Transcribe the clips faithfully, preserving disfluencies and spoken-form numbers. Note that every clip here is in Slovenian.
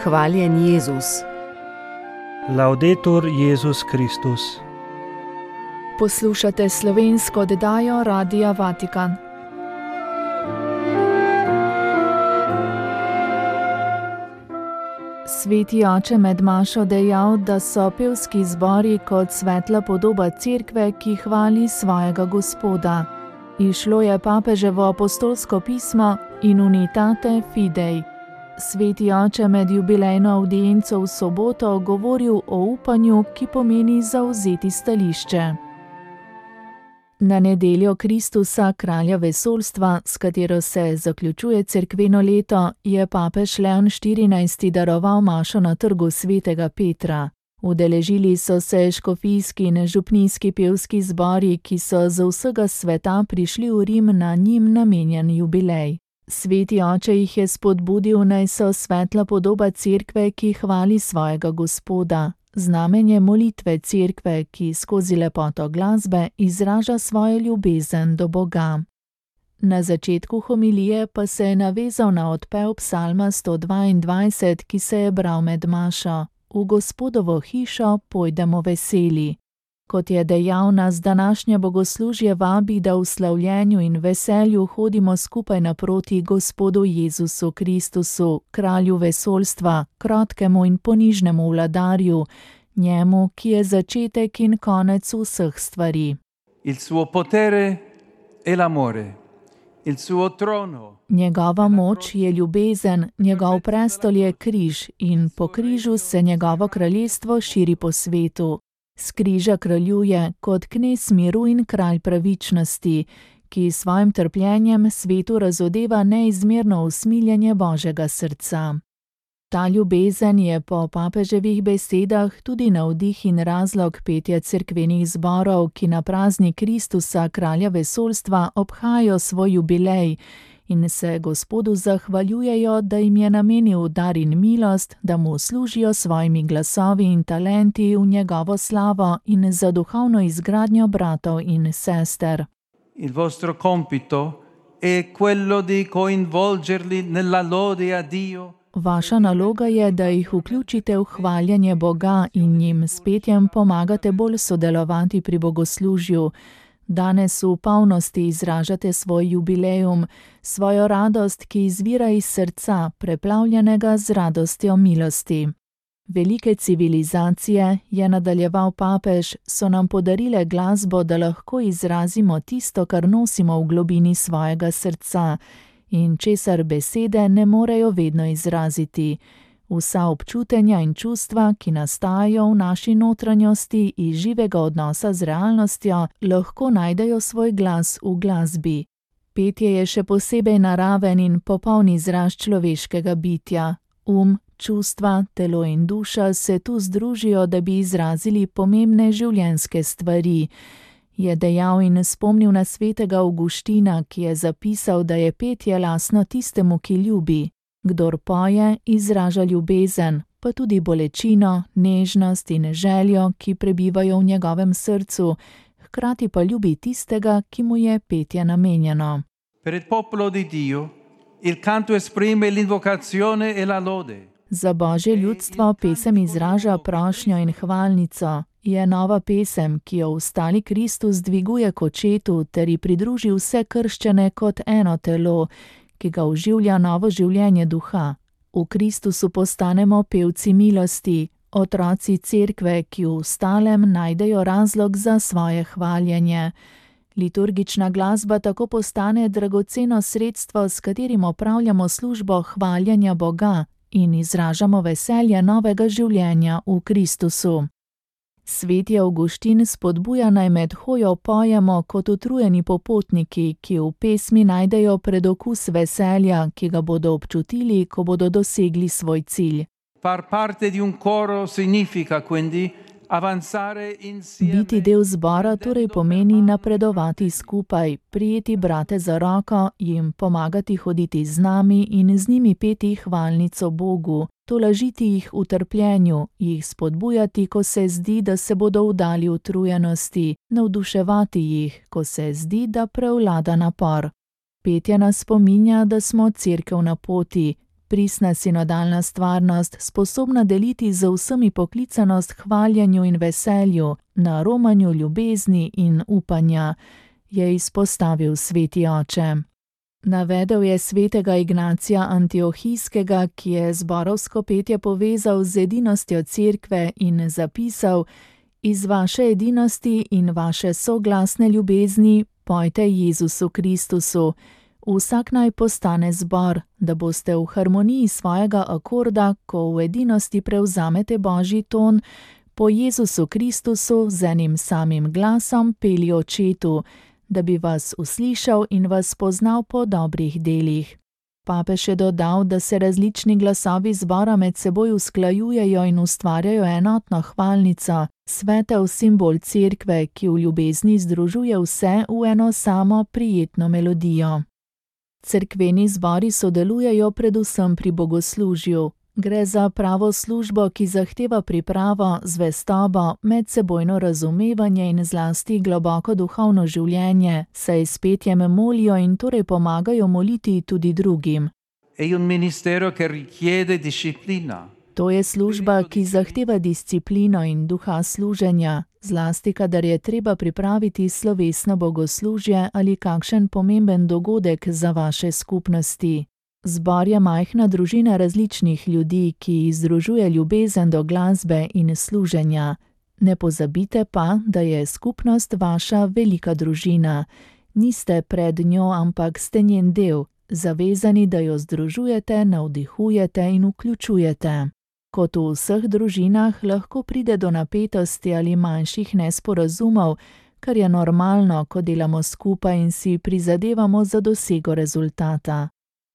Hvaljen Jezus. Laudetur Jezus Kristus. Poslušate slovensko oddajo Radia Vatikan. Sveti oče med mašo dejal, da so pevski zbori kot svetla podoba cerkve, ki hvali svojega Gospoda. Izšlo je papeževo apostolsko pismo In unitate fidei. Sveti oče med jubilejno avdienco v soboto govoril o upanju, ki pomeni zavzeti stališče. Na nedeljo Kristusa, kralja vesoljstva, s katero se zaključuje cerkveno leto, je papež Leon štirinajsti daroval mašo na trgu svetega Petra. Udeležili so se škofijski in župnijski pevski zbori, ki so z vsega sveta prišli v Rim na njim namenjen jubilej. Sveti oče jih je spodbudil, naj so svetla podoba cerkve, ki hvali svojega Gospoda, znamenje molitve cerkve, ki skozi lepoto glasbe izraža svojo ljubezen do Boga. Na začetku homilije pa se je navezal na odpev psalma sto dvaindvajset, ki se je bral med mašo: V Gospodovo hišo pojdemo veseli. Kot je dejal, nas današnje bogoslužje vabi, da v slavljenju in veselju hodimo skupaj naproti Gospodu Jezusu Kristusu, kralju vesoljstva, krotkemu in ponižnemu vladarju, njemu, ki je začetek in konec vseh stvari. Il suo potere è l'amore, il suo trono. Njegova moč je ljubezen, njegov prestol je križ in po križu se njegovo kraljestvo širi po svetu. S križa kraljuje kot knez miru in kralj pravičnosti, ki s svojim trpljenjem svetu razodeva neizmerno usmiljenje Božjega srca. Ta ljubezen je po papeževih besedah tudi navdih in razlog petja cerkvenih zborov, ki na praznik Kristusa, kralja vesoljstva, obhajajo svoj jubilej in se Gospodu zahvaljujejo, da jim je namenil dar in milost, da mu služijo svojimi glasovi in talenti v njegovo slavo in za duhovno izgradnjo bratov in sester. Il vostro compito è quello di coinvolgerli nella lode a Dio. Vaša naloga je, da jih vključite v hvaljenje Boga in jim s petjem pomagate bolj sodelovati pri bogoslužju. Danes v polnosti izražate svoj jubilejum, svojo radost, ki izvira iz srca, preplavljenega z radostjo milosti. Velike civilizacije, je nadaljeval papež, so nam podarile glasbo, da lahko izrazimo tisto, kar nosimo v globini svojega srca in česar besede ne morejo vedno izraziti. Vsa občutenja in čustva, ki nastajajo v naši notranjosti iz živega odnosa z realnostjo, lahko najdejo svoj glas v glasbi. Petje je še posebej naraven in popoln izraz človeškega bitja. Um, čustva, telo in duša se tu združijo, da bi izrazili pomembne življenjske stvari. Je dejal in spomnil na svetega Avguština, ki je zapisal, da je petje lastno tistemu, ki ljubi. Kdor poje, izraža ljubezen, pa tudi bolečino, nežnost in željo, ki prebivajo v njegovem srcu, hkrati pa ljubi tistega, ki mu je petje namenjeno. Per il popolo di Dio, il canto esprime l'invocazione e la lode. Za Božje ljudstvo pesem izraža prošnjo in hvalnico. Je nova pesem, ki jo vstali Kristus dviguje k očetu ter ji pridruži vse krščane kot eno telo, ki ga oživlja novo življenje duha. V Kristusu postanemo pevci milosti, otroci cerkve, ki v stalem najdejo razlog za svoje hvaljenje. Liturgična glasba tako postane dragoceno sredstvo, s katerim opravljamo službo hvaljenja Boga in izražamo veselje novega življenja v Kristusu. Sveti Avguštin spodbuja, naj med hojo pojemo kot utrujeni popotniki, ki v pesmi najdejo predokus veselja, ki ga bodo občutili, ko bodo dosegli svoj cilj. Far parte di un coro significa quindi avanzare insieme. Biti del zbora torej pomeni napredovati skupaj, prijeti brate za roko, jim pomagati hoditi z nami in z njimi peti hvalnico Bogu, tolažiti jih v trpljenju, jih spodbujati, ko se zdi, da se bodo vdali utrujenosti, navduševati jih, ko se zdi, da prevlada napor. Petje nas spominja, da smo cerkev na poti, Pristna sinodalna stvarnost, sposobna deliti z vsemi poklicanost hvaljenju in veselju, na romanju ljubezni in upanja, je izpostavil sveti oče. Navedel je svetega Ignacija Antiohijskega, ki je zborovsko petje povezal z edinostjo cerkve in zapisal: Iz vaše edinosti in vaše soglasne ljubezni pojte Jezusu Kristusu. Vsak naj postane zbor, da boste v harmoniji svojega akorda, ko v edinosti prevzamete Božji ton, po Jezusu Kristusu z enim samim glasom peli Očetu, da bi vas uslišal in vas poznal po dobrih delih. Papež je dodal, da se različni glasovi zbora med seboj usklajujejo in ustvarjajo enotno hvalnico, svetel simbol cerkve, ki v ljubezni združuje vse v eno samo prijetno melodijo. Cerkveni zbori sodelujejo predvsem pri bogoslužju. Gre za pravo službo, ki zahteva pripravo, zvestobo, medsebojno razumevanje in zlasti globoko duhovno življenje, saj s petjem molijo in torej pomagajo moliti tudi drugim. È un ministero che richiede disciplina. To je služba, ki zahteva disciplino in duha služenja, zlasti kadar je treba pripraviti slovesno bogoslužje ali kakšen pomemben dogodek za vaše skupnosti. Zbor je majhna družina različnih ljudi, ki združuje ljubezen do glasbe in služenja. Ne pozabite pa, da je skupnost vaša velika družina. Niste pred njo, ampak ste njen del, zavezani, da jo združujete, navdihujete in vključujete. Kot v vseh družinah lahko pride do napetosti ali manjših nesporazumov, kar je normalno, ko delamo skupaj in si prizadevamo za dosego rezultata.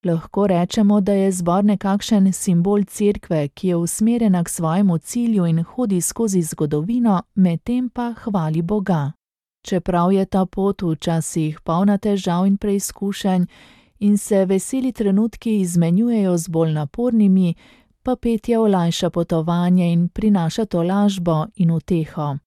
Lahko rečemo, da je zbor nekakšen simbol cerkve, ki je usmerjena k svojemu cilju in hodi skozi zgodovino, medtem pa hvali Boga. Čeprav je ta pot včasih polna težav in preizkušenj in se veseli trenutki izmenjujejo z bolj napornimi, pa petje olajša potovanje in prinaša tolažbo in uteho.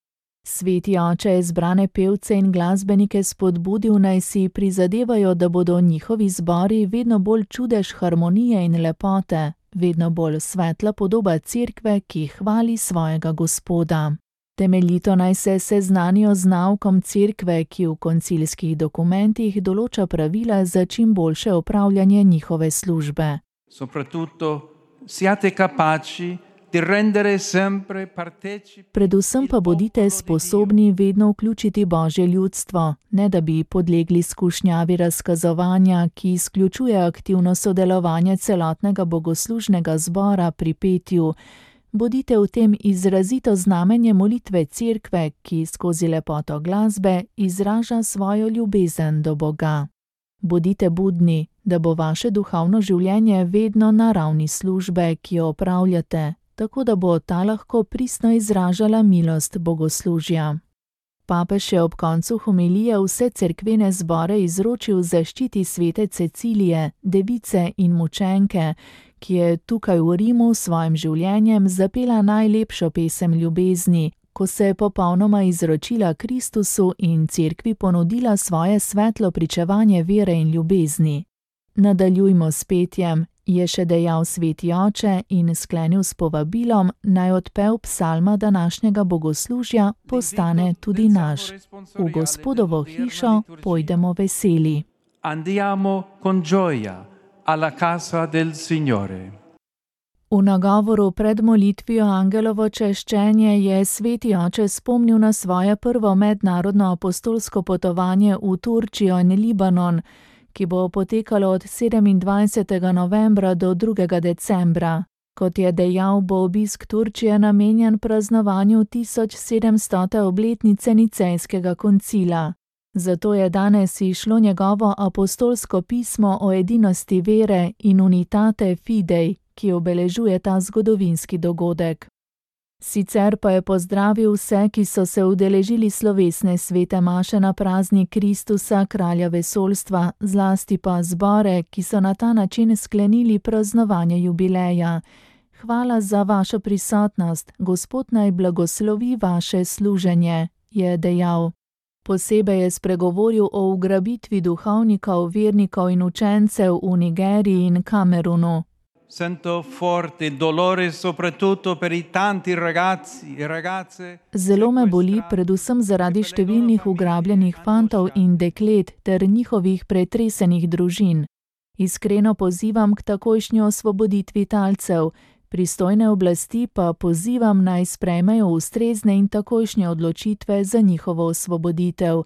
Sveti oče je zbrane pevce in glasbenike spodbudil, naj si prizadevajo, da bodo njihovi zbori vedno bolj čudež harmonije in lepote, vedno bolj svetla podoba cerkve, ki hvali svojega Gospoda. Temeljito naj se seznanijo z naukom cerkve, ki v koncilskih dokumentih določa pravila za čim boljše opravljanje njihove službe. Soprattutto siate capaci di rendere sempre partecipi. Predvsem pa bodite sposobni vedno vključiti Božje ljudstvo, ne da bi podlegli skušnjavi razkazovanja, ki izključuje aktivno sodelovanje celotnega bogoslužnega zbora pri petju. Bodite v tem izrazito znamenje molitve cerkve, ki skozi lepoto glasbe izraža svojo ljubezen do Boga. Bodite budni, da bo vaše duhovno življenje vedno na ravni službe, ki jo opravljate, tako da bo ta lahko pristno izražala milost bogoslužja. Papež je ob koncu homilije vse cerkvene zbore izročil zaščiti svete Cecilije, device in mučenke, ki je tukaj v Rimu s svojim življenjem zapela najlepšo pesem ljubezni, ko se je popolnoma izročila Kristusu in cerkvi ponudila svoje svetlo pričevanje vere in ljubezni. Nadaljujmo s petjem, je še dejal sveti oče in sklenil s povabilom, naj odpev psalma današnjega bogoslužja postane tudi naš. V Gospodovo hišo pojdemo veseli. Andiamo con gioia alla casa del Signore. V nagovoru pred molitvijo Angelovo češčenje je sveti oče spomnil na svoje prvo mednarodno apostolsko potovanje v Turčijo in Libanon, ki bo potekalo od sedemindvajsetega novembra do drugega decembra. Kot je dejal, bo obisk Turčije namenjen praznovanju tisoč sedemstote obletnice Nicejskega koncila. Zato je danes izšlo njegovo apostolsko pismo o edinosti vere in unitate fidei, ki obeležuje ta zgodovinski dogodek. Sicer pa je pozdravil vse, ki so se udeležili slovesne svete maše na praznik Kristusa, kralja vesoljstva, zlasti pa zbore, ki so na ta način sklenili praznovanje jubileja. Hvala za vašo prisotnost, Gospod naj blagoslovi vaše služenje, je dejal. Posebej je spregovoril o ugrabitvi duhovnikov, vernikov in učencev v Nigeriji in Kamerunu. Sento forte il dolore soprattutto per i tanti ragazzi e ragazze. Zelo me boli, predvsem zaradi številnih ugrabljenih fantov in deklet ter njihovih pretresenih družin. Iskreno pozivam k takojšnji osvoboditvi talcev, pristojne oblasti pa pozivam naj sprejmejo ustrezne in takojšnje odločitve za njihovo osvoboditev,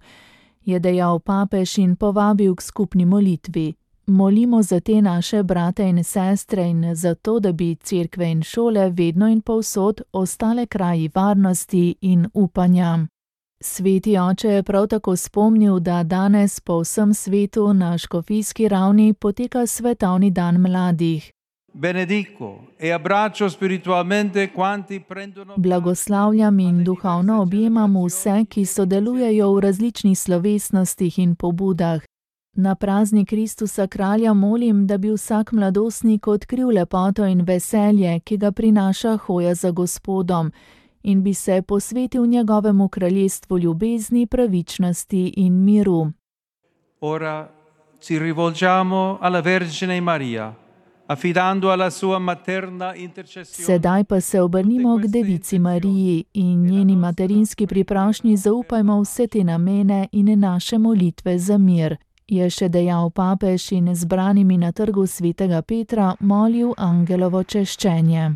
je dejal papež in povabil k skupni molitvi. Molimo za te naše brate in sestre in za to, da bi cerkve in šole vedno in povsod ostale kraji varnosti in upanja. Sveti oče je prav tako spomnil, da danes po vsem svetu na škofijski ravni poteka svetovni dan mladih. Benedico e abbraccio spiritualmente quanti prendono. Blagoslavljam in duhovno objemam vse, ki sodelujejo v različnih slovesnostih in pobudah. Na praznik Kristusa kralja molim, da bi vsak mladostnik odkril lepoto in veselje, ki ga prinaša hoja za Gospodom, in bi se posvetil njegovemu kraljestvu ljubezni, pravičnosti in miru. Ora ci rivolgiamo alla Vergine Maria, affidando alla sua materna intercessione. Sedaj pa se obrnimo k Devici Mariji in njeni materinski priprošnji zaupajmo vse te namene in naše molitve za mir, je še dejal papež in zbranimi na trgu svetega Petra molil angelovo češčenje.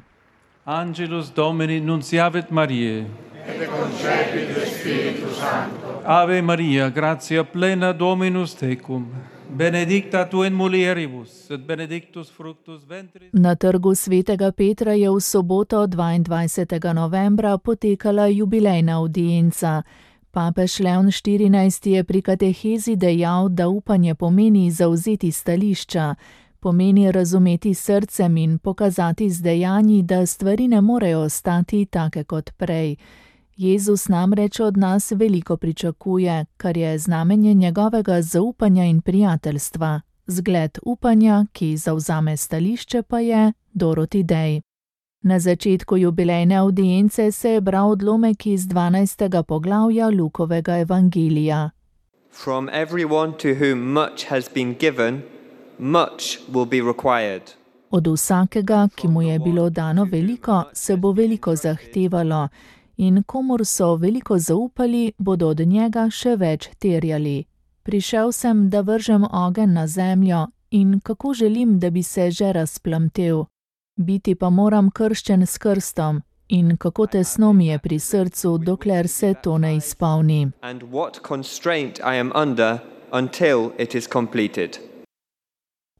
Angelus Domini nunciavit Mariae. Et concepit Spiritus Sancto. Ave Maria, gratia plena Dominus tecum, benedicta tu in mulieribus, et benedictus fructus ventris. Na trgu svetega Petra je v soboto dvaindvajsetega novembra potekala jubilejna avdienca. Papež Leon štirinajsti je pri katehezi dejal, da upanje pomeni zavzeti stališča, pomeni razumeti srcem in pokazati z dejanji, da stvari ne morejo ostati take kot prej. Jezus namreč od nas veliko pričakuje, kar je znamenje njegovega zaupanja in prijateljstva. Zgled upanja, ki zavzame stališče, pa je Dorothy Day. Na začetku jubilejne avdience se je bral odlomek iz dvanajstega poglavja Lukovega evangelija. From everyone to whom much has been given, much will be required. Od vsakega, ki mu je bilo dano veliko, se bo veliko zahtevalo, in komur so veliko zaupali, bodo od njega še več terjali. Prišel sem, da vržem ogenj na zemljo, in kako želim, da bi se že razplamtel. Biti pa moram krščen s krstom, in kako tesno mi je pri srcu, dokler se to ne izpolni. And what constraint I am under until it is completed.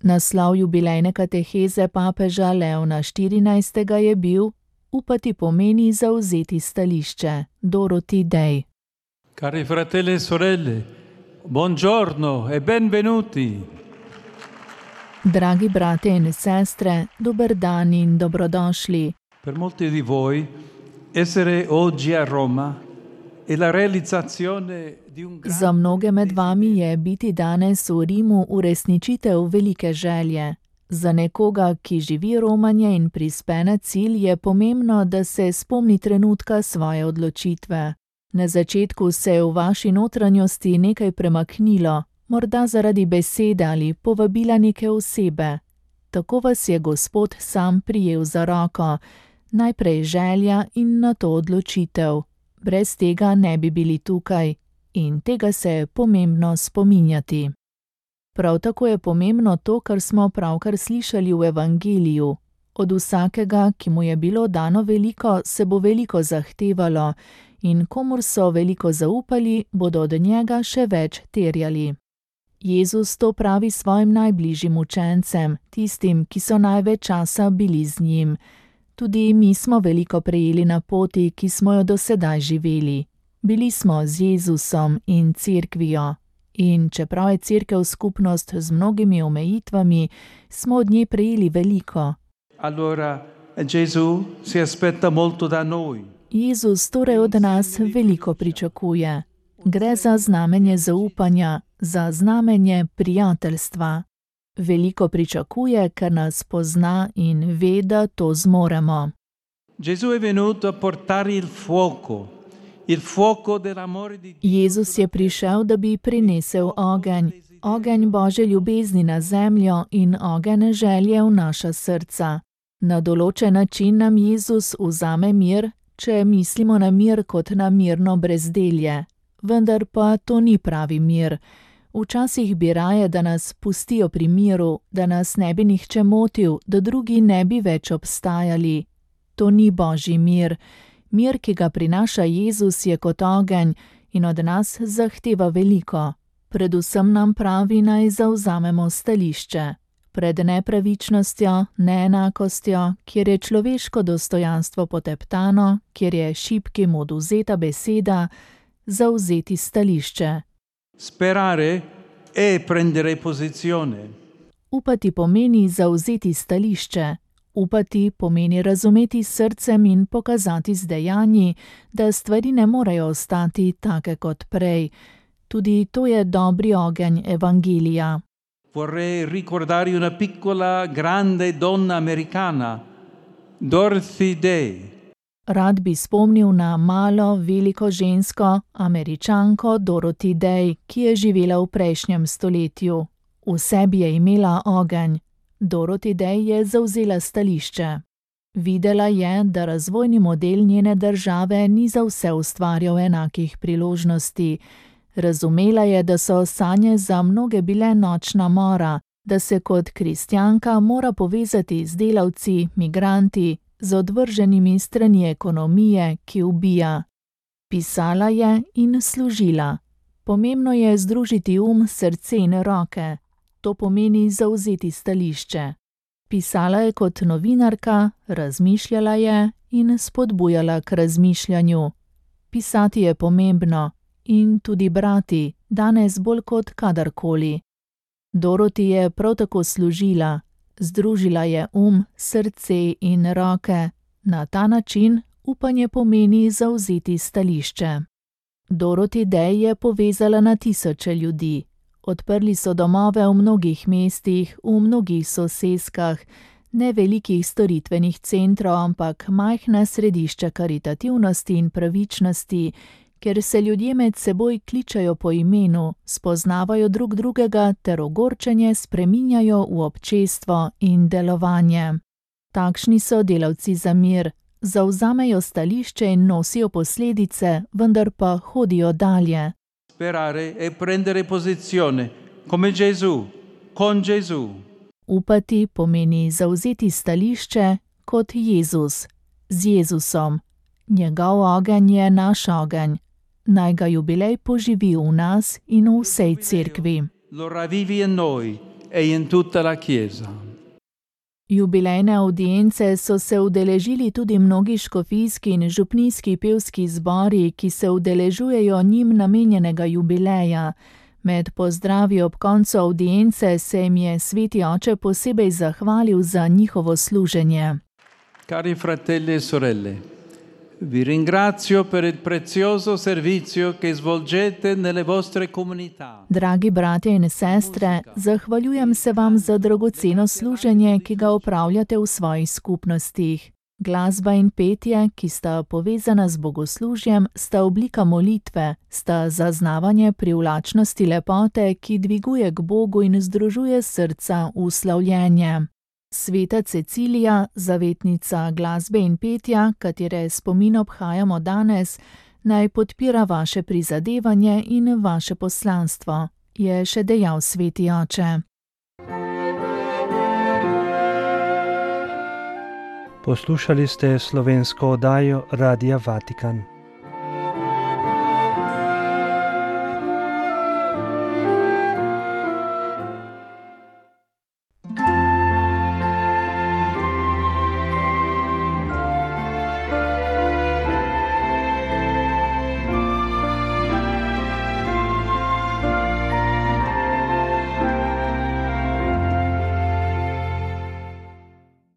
Naslov jubilejne kateheze papeža Leona štirinajstega je bil Upati pomeni zavzeti stališče. Dorothy Day. Cari fratelli e sorelle, buongiorno e benvenuti. Dragi brate in sestre, dober dan in dobrodošli. Per molti di voi essere oggi a Roma è la realizzazione di un Za mnoge med vami je biti danes v Rimu uresničitev velike želje. Za nekoga, ki živi romanje in prispe na cilj, je pomembno, da se spomni trenutka svoje odločitve. Na začetku se je v vaši notranjosti nekaj premaknilo, morda zaradi besede ali povabila neke osebe. Tako vas je Gospod sam prijel za roko, najprej želja in nato odločitev. Brez tega ne bi bili tukaj in tega se je pomembno spominjati. Prav tako je pomembno to, kar smo pravkar slišali v evangeliju. Od vsakega, ki mu je bilo dano veliko, se bo veliko zahtevalo, in komur so veliko zaupali, bodo od njega še več terjali. Jezus to pravi svojim najbližjim učencem, tistim, ki so največ časa bili z njim. Tudi mi smo veliko prejeli na poti, ki smo jo do sedaj živeli. Bili smo z Jezusom in cerkvijo. In čeprav je cerkev skupnost z mnogimi omejitvami, smo od nje prejeli veliko. Allora Gesù si aspetta molto da noi. Jezus torej od nas veliko pričakuje. Gre za znamenje zaupanja, za znamenje prijateljstva. Veliko pričakuje, ker nas pozna in ve, da to zmoremo. Gesù è venuto a portare il fuoco. Il fuoco dell'amore di Dio. Jezus je prišel, da bi prinesel ogenj, Ogenj Božje ljubezni na zemljo in ogenj želje v naša srca. Na določen način nam Jezus vzame mir, če mislimo na mir kot na mirno brezdelje. Vendar pa to ni pravi mir. Včasih bi raje, da nas pustijo pri miru, da nas ne bi nihče motil, da drugi ne bi več obstajali. To ni Božji mir. Mir, ki ga prinaša Jezus, je kot ogenj in od nas zahteva veliko. Predvsem nam pravi, naj zavzamemo stališče. Pred nepravičnostjo, neenakostjo, kjer je človeško dostojanstvo poteptano, kjer je šibkim odvzeta beseda, zavzeti stališče. Sperare è prendere posizione. Upati pomeni zavzeti stališče. Upati pomeni razumeti s srcem in pokazati z dejanji, da stvari ne morejo ostati take kot prej. Tudi to je dobri ogenj evangelija. Vorrei ricordare una piccola grande donna americana, Dorothy Day. Rad bi spomnil na malo, veliko žensko, Američanko Dorothy Day, ki je živela v prejšnjem stoletju. V sebi je imela ogenj. Dorothy Day je zavzela stališče. Videla je, da razvojni model njene države ni za vse ustvarjal enakih priložnosti. Razumela je, da so sanje za mnoge bile nočna mora, da se kot kristjanka mora povezati z delavci, migranti, z odvrženimi strani ekonomije, ki ubija. Pisala je in služila. Pomembno je združiti um, srce in roke. To pomeni zavzeti stališče. Pisala je kot novinarka, razmišljala je in spodbujala k razmišljanju. Pisati je pomembno in tudi brati, danes bolj kot kadarkoli. Dorothy je prav tako služila. Združila je um, srce in roke. Na ta način upanje pomeni zavzeti stališče. Dorothy Day je povezala na tisoče ljudi. Odprli so domove v mnogih mestih, v mnogih soseskah, ne velikih storitvenih centrov, ampak majhna središča karitativnosti in pravičnosti, kjer se ljudje med seboj kličajo po imenu, spoznavajo drug drugega ter ogorčenje spreminjajo v občestvo in delovanje. Takšni so delavci za mir, zavzamejo stališče in nosijo posledice, vendar pa hodijo dalje. Sperare e prendere posizione, come Gesù, con Gesù. Upati pomeni zavzeti stališče kot Jezus, z Jezusom. Njegov ogenj je naš ogenj. Naj ga jubilej poživi v nas in v vsej cerkvi. Lo ravivi in noi e in tutta la Chiesa. Jubilejne avdience so se udeležili tudi mnogi škofijski in župnijski pevski zbori, ki se udeležujejo njim namenjenega jubileja. Med pozdravi ob koncu avdience se jim je sveti oče posebej zahvalil za njihovo služenje. Cari fratelli e sorelle, vi ringrazio per il prezioso servizio che svolgete nelle vostre comunità. Dragi bratje in sestre, zahvaljujem se vam za dragoceno služenje, ki ga opravljate v svojih skupnostih. Glasba in petje, ki sta povezana z bogoslužjem, sta oblika molitve, sta zaznavanje privlačnosti lepote, ki dviguje k Bogu in združuje srca v slavljenje. Sveta Cecilija, zavetnica glasbe in petja, katere spomin obhajamo danes, naj podpira vaše prizadevanje in vaše poslanstvo, je še dejal sveti oče. Poslušali ste slovensko oddajo Radia Vatikan.